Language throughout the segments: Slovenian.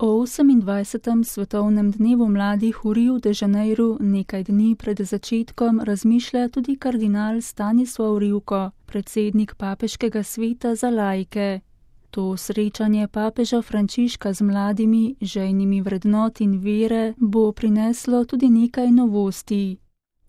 O 28. svetovnem dnevu mladih v Riu de Janeiru nekaj dni pred začetkom razmišlja tudi kardinal Stanislav Rivko, predsednik papeškega sveta za laike. To srečanje papeža Frančiška z mladimi, žejnimi vrednot in vere bo prineslo tudi nekaj novosti.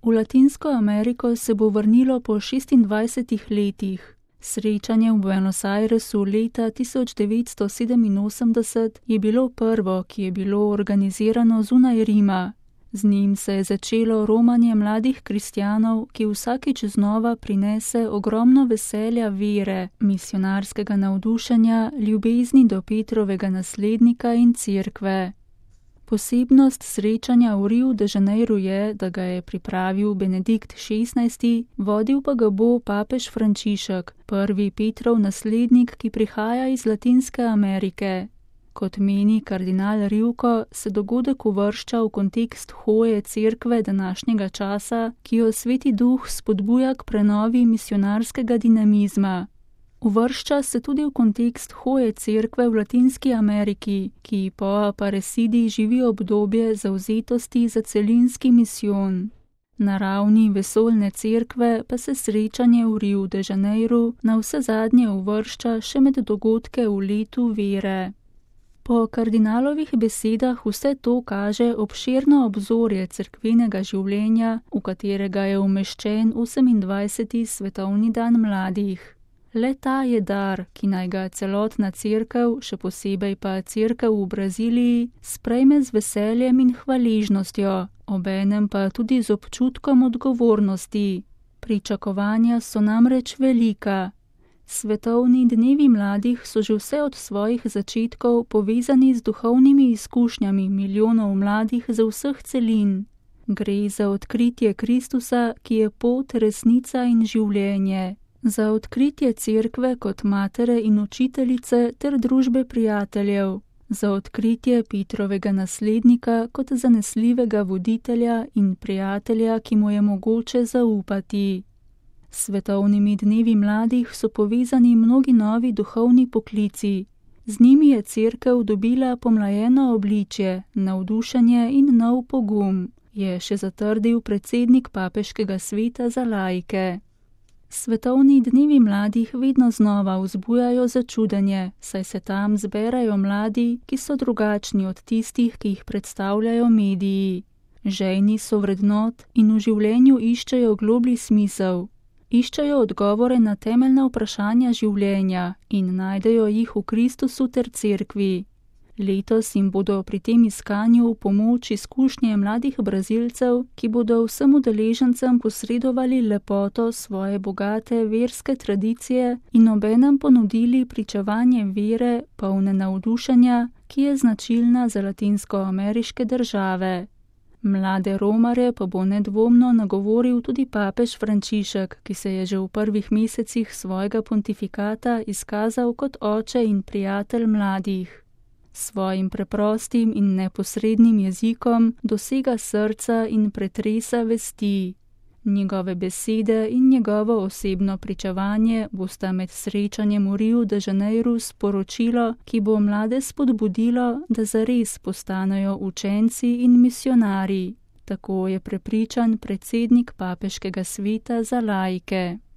V Latinsko Ameriko se bo vrnilo po 26 letih. Srečanje v Buenos Airesu leta 1987 je bilo prvo, ki je bilo organizirano zunaj Rima. Z njim se je začelo romanje mladih kristjanov, ki vsakič znova prinese ogromno veselja vere, misionarskega navdušenja, ljubezni do Petrovega naslednika in cerkve. Posebnost srečanja v Riu de Janeiru je, da ga je pripravil Benedikt XVI, vodil pa ga bo papež Frančišek, prvi Petrov naslednik, ki prihaja iz Latinske Amerike. Kot meni kardinal Rivko, se dogodek uvršča v kontekst hoje cerkve današnjega časa, ki jo Sveti Duh spodbuja k prenovi misionarskega dinamizma. Uvršča se tudi v kontekst hoje cerkve v Latinski Ameriki, ki po Aparecidi živi obdobje zavzetosti za celinski misijon. Na ravni vesoljne cerkve pa se srečanje v Riu de Janeiru navsezadnje uvršča še med dogodke v letu vere. Po kardinalovih besedah vse to kaže obširno obzorje cerkvenega življenja, v katerega je umeščen 28. svetovni dan mladih. Le ta je dar, ki naj ga celotna cerkev, še posebej pa cerkev v Braziliji, sprejme z veseljem in hvaležnostjo, obenem pa tudi z občutkom odgovornosti. Pričakovanja so namreč velika. Svetovni dnevi mladih so že vse od svojih začetkov povezani z duhovnimi izkušnjami milijonov mladih z vseh celin. Gre za odkritje Kristusa, ki je pot, resnica in življenje. Za odkritje cerkve kot matere in učiteljice ter družbe prijateljev. Za odkritje Petrovega naslednika kot zanesljivega voditelja in prijatelja, ki mu je mogoče zaupati. S svetovnimi dnevi mladih so povezani mnogi novi duhovni poklici. Z njimi je cerkev dobila pomlajeno obličje, navdušenje in nov pogum, je še zatrdil predsednik papeškega sveta za laike. Svetovni dnevi mladih vedno znova vzbujajo začudenje, saj se tam zberajo mladi, ki so drugačni od tistih, ki jih predstavljajo mediji. Žejni so vrednot in v življenju iščejo globlji smisel. Iščejo odgovore na temeljna vprašanja življenja in najdejo jih v Kristusu ter cerkvi. Letos jim bodo pri tem iskanju v pomoč izkušnje mladih Brazilcev, ki bodo vsem udeležencem posredovali lepoto svoje bogate verske tradicije in obenem ponudili pričevanje vere, polne navdušenja, ki je značilna za latinskoameriške države. Mlade romare pa bo nedvomno nagovoril tudi papež Frančišek, ki se je že v prvih mesecih svojega pontifikata izkazal kot oče in prijatelj mladih. Svojim preprostim in neposrednim jezikom dosega srca in pretresa vesti. Njegove besede in njegovo osebno pričevanje bosta med srečanjem v Riu de Janeiru sporočilo, ki bo mlade spodbudilo, da zares postanejo učenci in misionarji. Tako je prepričan predsednik papeškega sveta za laike.